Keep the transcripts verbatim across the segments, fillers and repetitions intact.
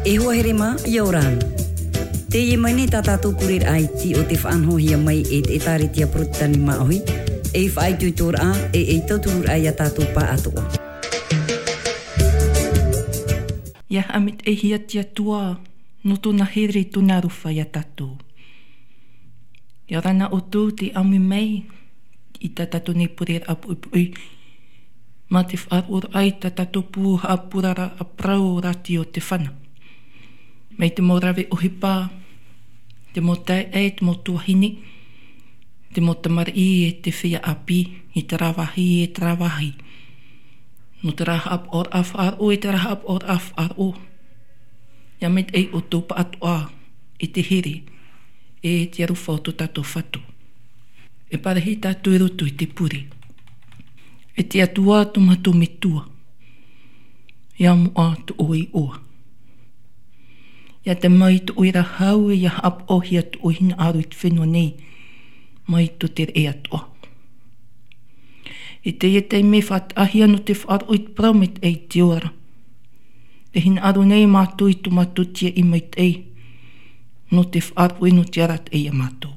E hoa here mā, ʻia ora na. Teie mai nei tā tātou pureraʻa iti o te faʻanahohia mai e te ʻĒtārētia Porotetani Māʻohi, ei faʻaitoitoraʻa, e, ei tautururaʻa ia tātou pāʻatoʻa. ʻIa haʻamaitaʻihia te Atua, nō tōna here, tōna aroha ia tātou. ʻIa ora na ʻoutou tei ʻāmui mai i tā tātou nei pureraʻa poʻipoʻi, mā te faʻaroʻoraʻa i tā tātou pū haʻapuraraʻa parau o Rātio Tefana. Mai te mau rave ʻohipa, te mau taeaʻe, te mau tuahine, te mau tamariʻi e te feiā ʻāpī, i terā vāhi, e terā vāhi. Nō terā haʻapaʻoraʻa faʻaroʻo, e terā haʻapaʻoraʻa faʻaroʻo. ʻIa maitaʻi ʻoutou pāʻatoʻa i te here, e te aroha o tō tātou Fatu. E parahi tātou i roto i te pure. E te Atua tō mātou Metua, ʻia moʻa tō ʻoe iʻoa. ʻIa tae mai tō ʻoe ra hau, ʻia haʻapaʻohia tō ʻoe hinaʻaro i te fenua nei, mai tō te reʻe atoʻa. I teie taime faʻataʻahia nō te faʻaroʻo i te parau maitaʻi i te ora. Te hinaʻaro nei mātou i tō mātou tiaʻi maitaʻi, nō te faʻaroʻo nō te arataʻi ia mātou.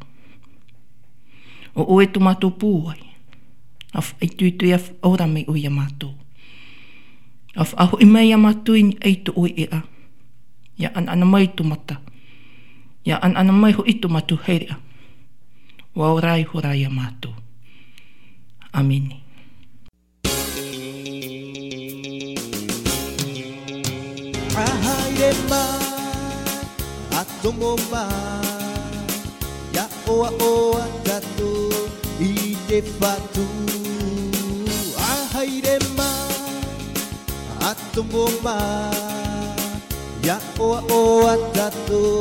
ʻO ʻoe tō mātou pūai, ʻa faʻaitoito, ʻia faʻaora mai ʻoe ia mātou. ʻA faʻahoʻi mai ia mātou i niʻa i tō ʻoe ʻēʻa. ʻIa ʻanaʻana mai tō mata. ʻIa ʻanaʻana mai hoʻi tō mātou haereʻa. ʻUa ora ihora ia mātou. ʻĀmene. ʻA haere mā, ʻa tomo mā, ʻia ʻoaʻoa tātou i te Fatu. ʻA haere mā, ʻa tomo mā, ʻia ʻoaʻoa tātou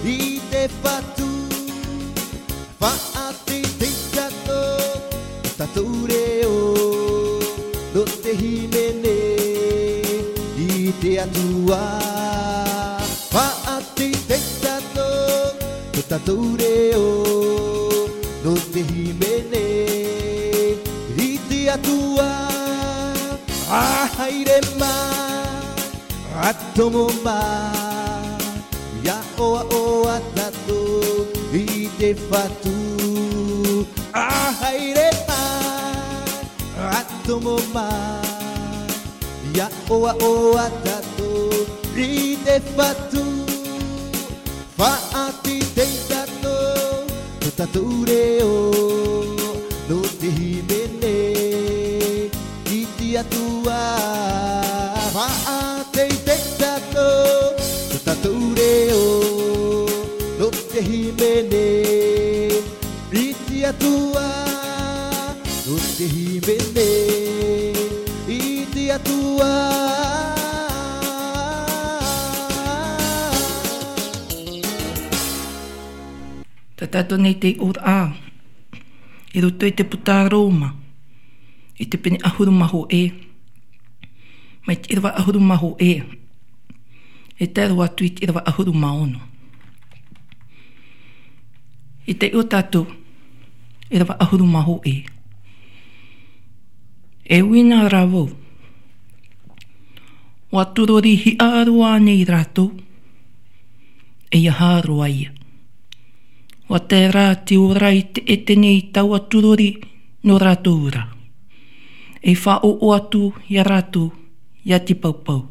i te Fatu. Faʻateitei tātou, tō tātou reo, nō te hīmene i te Atua. Faʻateitei tātou, tō tātou reo, nō te hīmene i te Atua. ʻA haere mā, ʻa tomo mā, ʻia ʻoaʻoa tātou i te Fatu. ʻA haere mā, ʻa tomo mā, ʻia ʻoaʻoa tātou i te Fatu. Faʻateitei tātou, tō tātou reo, nō te hīmene i te Atua. Faʻateitei tātou, tō tātou reo, nō te hīmene i te Atua. Nō te hīmene i te Atua. Tā tātou nei te iʻoa, i roto i te puta Roma, i te pene ʻahuru mā hōʻē, mai te ʻīrava ʻahuru mā hōʻē, e tae roa atu i te ʻīrava ʻahuru mā ono. I te iʻoa tātou, ʻīrava ʻahuru mā hōʻē. E ui na rā vau, ʻua tūrori hiʻa roa nei rātou, ʻeiaha roa ia. ʻUa tae rā te ora i te ʻētene i taua tūrori nō rātou ra, e faʻaʻoʻo atu ia rātou ia te paupau.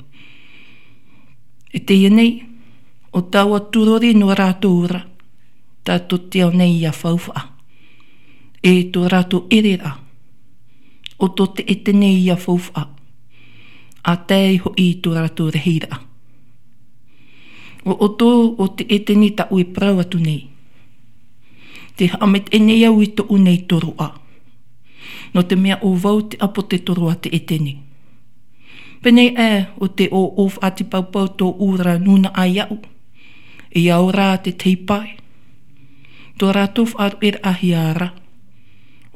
E teie nei, ʻo taua tūrori nō rātou ra, tā tō te ao nei ia faufaʻa, e tō rātou ʻereraʻa, ʻo tō te ʻētene ia faufaʻa, ʻa tae ai hoʻi i tō rātou rahiraʻa. ʻO ʻoutou, ʻo te ʻētene tāʻu e parau atu nei, tē haʻamaitaʻi nei au i tōʻu nei toroʻa, nō te mea ʻo vau te ʻāpōsetolo a te ʻētene. Pēnei aʻe ʻo tē ʻoʻoʻo faʻatipaupau tōʻu ra nūnaʻa iāʻu, ʻia ora te tei pae. Tō rātou faʻaruʻeraʻahia ra,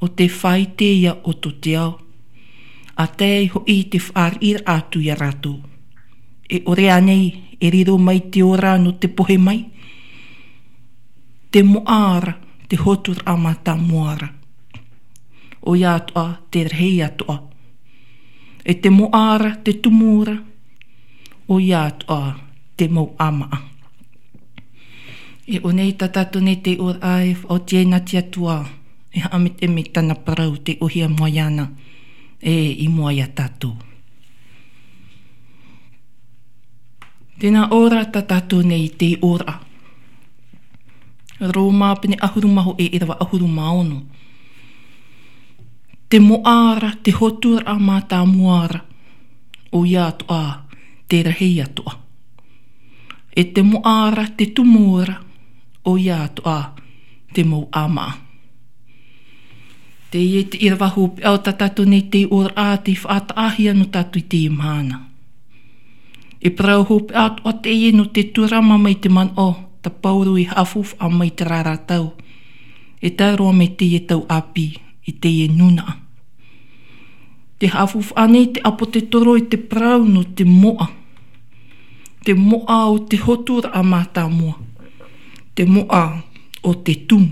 ʻo te faʻaʻite ia ʻo tō te ao, ʻa tae ai hoʻi i te fāriʻiraʻa atu ia rātou. E ʻore ānei e riro mai te ora nō te pohe mai? Te moʻa ra, te hōturaʻa mātāmua ra, ʻoia atoʻa te rahi atoʻa. E te moʻa ra, te tumu ra, ʻoia atoʻa te mau ʻāmaʻa. E ʻō nei tā tātou nei tei ʻōraʻa e faʻaoti ai nā te Atua, e haʻametemete tāna parau tei ʻōhie mai iāna, e i mua iā tātou. Tēnā ʻō ra tā tātou nei tei ʻōraʻa. Rōma pene ʻahuru mā hōʻē ʻīrava ʻahuru mā ono. Te moʻa ra, te hoturaʻa mātāmua ra, ʻoia atoʻa te rahi atoʻa. E te moʻa ra, te tumu ra, ʻoia atoʻa te mau ʻāmaʻa. Teie te ʻīrava hopeʻa o tā tātou nei tei ʻōraʻa tei faʻataʻahia nō tātou i teie mahana. E parau hopeʻa atoʻa teie nō te tūrama mai te manaʻo tā Paulo i haʻafaufaʻa mai i terā ra tau, e tae roa mai teie tau ʻāpī i teie nūnaʻa. Tē haʻafaufaʻa nei te ʻāpōsetolo i te parau nō te moʻa. Te moʻa o te hoturaʻa mātāmua. Te moʻa o te tumu.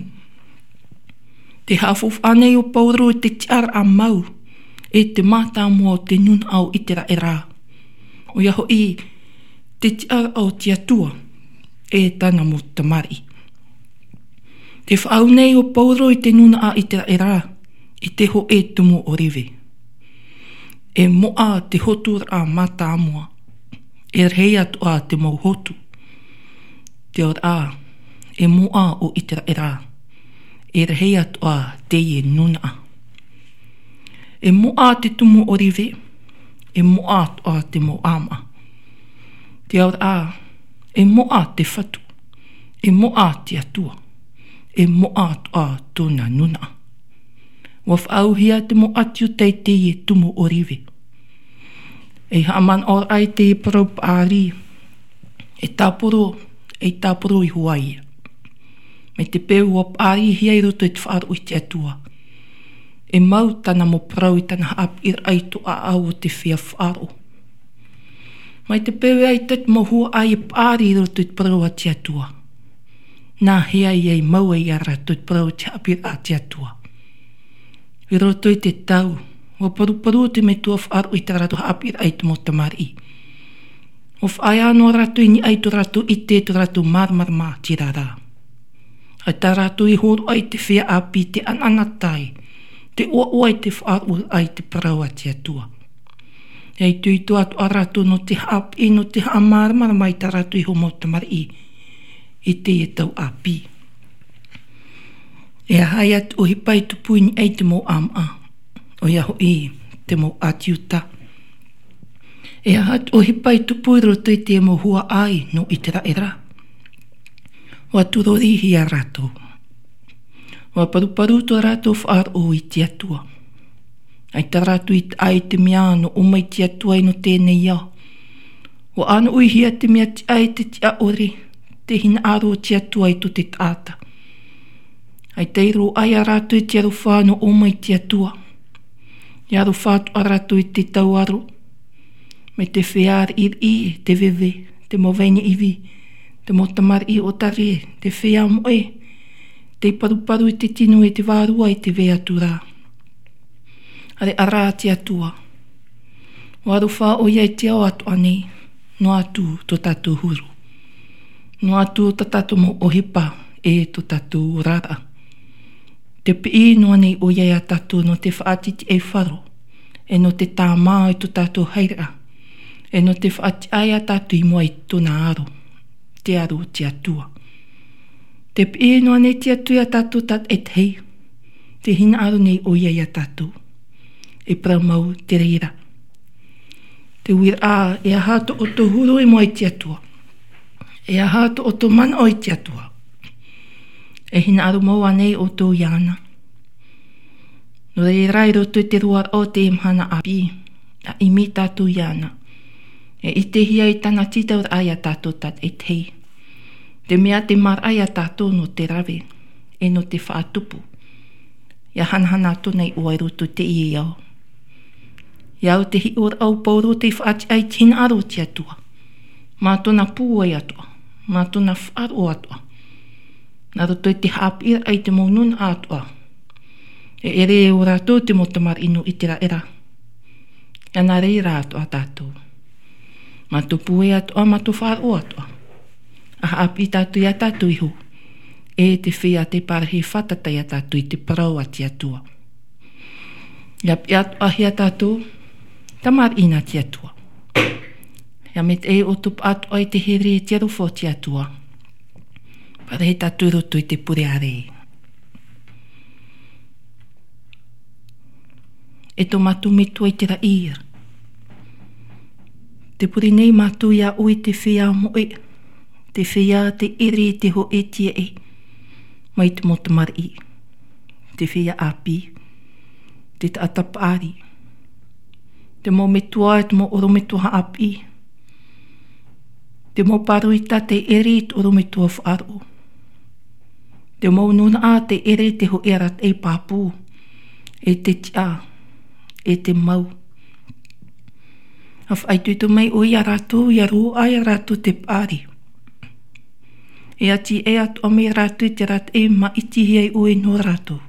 Tē haʻafaufaʻa nei ʻo Paulo i te tiʻaraʻa mau, e te mātāmua o te nūnaʻa o ʻĪteraʻera. ʻOia hoʻi, te tiʻaraʻa o te Atua, e tāna mau tamariʻi. Tē faʻaau nei ʻo Paulo i te nūnaʻa ʻĪteraʻera, i te hōʻē tumu ʻōreve. E moʻa te hoturaʻa mātāmua, e rahi atoʻa te mau hotu. Te auraʻa, e moʻa ʻo ʻĪteraʻera, e rahi atoʻa teie nūnaʻa. E moʻa te tumu ʻōreve, e moʻa atoʻa te mau ʻāmaʻa. Te auraʻa, e moʻa te Fatu, e moʻa te Atua, e moʻa atoʻa tōna nūnaʻa. ʻUa faʻaauhia te mau ʻāti Iuta i teie tumu ʻōreve. E haʻamanaʻo ra i teie parau paʻari, e tāporo, e tāporo iho ā ia. Mai te peu ʻua paʻarihia i roto i te faʻaroʻo i te Atua, e mau tāna mau parau i tāna haʻapiʻiraʻa i tō ʻāʻau o te feiā faʻaroʻo. Mai te peu ʻaita te mau huaʻai e paʻari i roto i te parau a te Atua, nā hea ʻia mau ai iā rātou te parau o te haʻapiʻiraʻa a te Atua? I roto i te tau, ʻua paruparu te metua faʻaroʻo i tā rātou haʻapiʻiraʻa i te mau tamariʻi. ʻUa faʻaea noa rātou i niʻa i tō rātou ʻite, tō rātou māramarama ʻātīrā. ʻAita rātou i hōroʻa i te feiā ʻāpī, te ʻanaʻanatae, te ʻoaʻoa i te faʻaroʻoraʻa i te parau a te Atua. E itoito atoʻa rātou nō te haʻapiʻi, nō te haʻamāramarama i tā rātou iho mau tamariʻi i teie tau ʻāpī. E aha ïa te ʻohipa i tupu i niʻa i te mau ʻāmaʻa, ʻoia hoʻi te mau ʻāti Iuta? E aha te ʻohipa i tupu i roto i te mau huaʻai nō ʻĪteraʻera? ʻUa tūrorihia rātou. ʻUa paruparu tō rātou faʻaroʻo i te Atua. ʻAita rātou i taʻa i te mea nō ʻō mai te Atua ʻino teie nei ao. ʻUa ʻānoʻihia te mea tiʻa e te tiʻa ʻore, te hinaʻaro o te Atua i tō te taʻata. ʻAita i roaʻa ia rātou i te aroha nō ʻō mai te Atua. E aroha atoʻa rātou i te tauaro, mai te feiā riʻiriʻi, te veve, te mau vahine ivi, te mau tamariʻi ʻōtare, te feiā moʻe, tei paruparu i te tino e te vārua i te vai atu ra. ʻAreʻa rā te Atua. ʻUa aroha ʻoia i te ao atoʻa nei, noa atu tō tātou huru. Noa atu tā tātou mau ʻohipa e tō tātou oraraʻa. Tē piʻi noa nei ʻoia iā tātou nō te faʻatitiʻaifaro, e nō te tāmā i tō tātou haereʻa, e nō te faʻatiʻa iā tātou i mua i tōna aro, te aro o te Atua. Tē piʻi noa nei te Atua iā tātou tātaʻitahi, tē hinaʻaro nei ʻoia iā tātou. E parau mau te reira. Te uiraʻa, e aha tō ʻoutou huru i mua i te Atua? E aha tō ʻoutou manaʻo i te Atua? E hinaʻaro mau ānei ʻoutou iāna? Nō reira, i roto i te roaraʻa o teie mahana ʻāpī, ʻa ʻimi tātou iāna. E ʻitehia i tāna tītauraʻa iā tātou tātaʻitahi. Te mea tē māraʻa iā tātou nō te rave, e nō te faʻatupu. ʻIa hanahana atu nei ʻoe i roto i teie ao. ʻIa au te hiʻoraʻa o Paulo tei faʻatiʻa i te hinaʻaro o te Atua. Mā tōna pūai atoʻa, mā tōna faʻaroʻo atoʻa. Nā roto i te haʻapiʻiraʻa i te mau nūnaʻa atoʻa. E ʻere ō rātou te mau tamariʻi nō ʻĪteraʻera. ʻIa nā reira atoʻa tātou. Mā tō pūai atoʻa, mā tō faʻaroʻo atoʻa. ʻA haʻapiʻi tātou ia tātou iho. E te feiā tei parahi fātata ia tātou i te parau a te Atua. ʻIa piʻi atoʻa hia tātou, tamariʻi nā te Atua. ʻIa mea te ʻē o tō paʻatoʻa i te here i te aroha o te Atua. Parahi tātou i roto i te pure ārai. E tō mātou Metua i te raʻi. Te pure nei mātou ia ʻoe te feiā moʻe, te feiā tei ʻere i te hōʻē tiaʻi, mai te mau tamariʻi, te feiā ʻāpī, te taʻata paʻari, te mau metua, te mau ʻorometua haʻapiʻi, te mau pāroita tei ʻere i te ʻorometua faʻaroʻo, te mau nūnaʻa tei ʻere i te hōʻē arataʻi pāpū, e te tiʻa, e te mau. ʻA faʻaitoito mai ʻoe ia rātou, ʻia roaʻa ia rātou te paʻari. E ʻati ʻē atoʻa mai rātou i te arataʻi māʻitihia ai ʻoe nō rātou.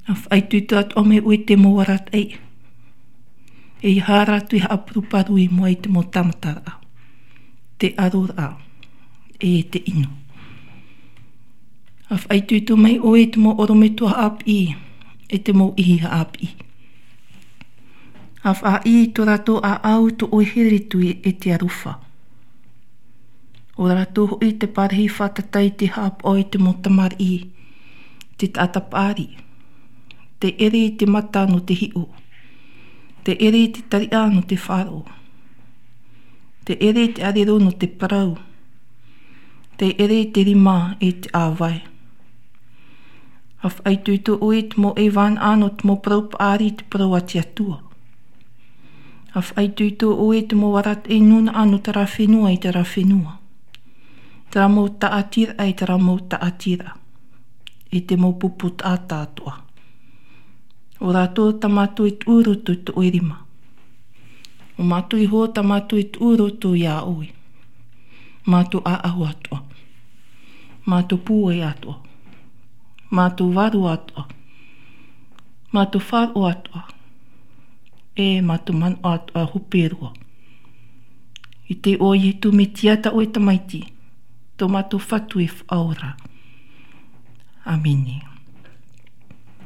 ʻA faʻaitoito atoʻa mai ʻoe i te mau arataʻi. E ʻeiaha rātou e haʻaparuparu i mua i te mau tāmataraʻa, te ʻaroraʻa, e te ʻino. ʻA faʻaitoito mai ʻoe i te mau ʻorometua haʻapiʻi, e te mau ʻihi haʻapiʻi. ʻA faʻaʻī i tō rātou ʻāʻau tō ʻoe here atu e te aroha. ʻO rātou hoʻi te parahi fātata i te haʻapaʻo i te mau tamariʻi, te taʻata paʻari, tei ʻere i te mata nō te hiʻo, tei ʻere i te tariʻa nō te faʻaroʻo, tei ʻere i te ʻarero nō te parau, tei ʻere i te rima e te ʻāvae. ʻA faʻaitoito ʻoe i te mau ʻaivānaʻa nō te mau parau paʻari i te parau a te Atua. ʻA faʻaitoito ʻoe i te mau arataʻi nūnaʻa nō terā fenua i terā fenua, terā mau tāʻatiraʻa i terā mau tāʻatiraʻa, i te mau pupu taʻata atoʻa. ʻO rātou tā mātou e tuʻu i roto i tō ʻoe rima. ʻO mātou iho tā mātou e tuʻu i roto ia ʻoe. Mātou ʻāʻau atoʻa, mātou pūai atoʻa, mātou vārua atoʻa, mātou faʻaroʻo atoʻa, e mātou manaʻo atoʻa hope roa. I te iʻoa o Iesu Mesia tā ʻoe Tamaiti, tō mātou Fatu e Faʻaora. ʻĀmene.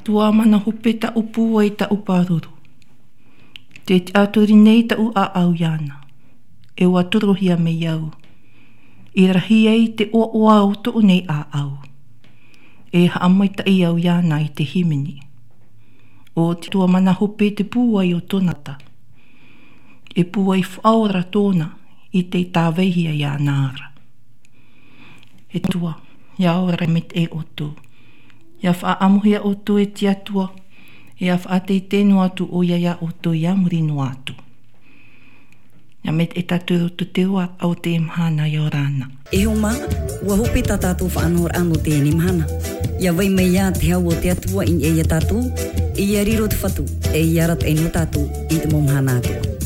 Atua, mana hope taʻu pūai, taʻu pāruru. Tē tiʻaturi nei taʻu ʻāʻau iāna, e ʻua torohia mai au. I rahi ai te ʻoaʻoa o tōʻu nei ʻāʻau, e haʻamaitaʻi au iāna i te hīmene. ʻO te Atua mana hope te pūai o tōna taʻata. E pūai faʻaora tōna i te tāvaihia iāna ra. E Atua, ʻia ora maitaʻi ʻoutou. ʻIa faʻaʻamuhia ʻoutou e te Atua, ʻia faʻateitei noa atu ʻoia ia ʻoutou ia muri noa atu. ʻIa maitaʻi tātou i roto i te roaraʻa o teie mahana, ʻia ora na. E hoa mā, ʻua hope tā tātou faʻanahoraʻa nō teie mahana. ʻIa vai mai ā te hau o te Atua i niʻa ia tātou, e ʻia riro te Fatu, e ʻia arataʻi noa tātou i te mau mahana atoʻa.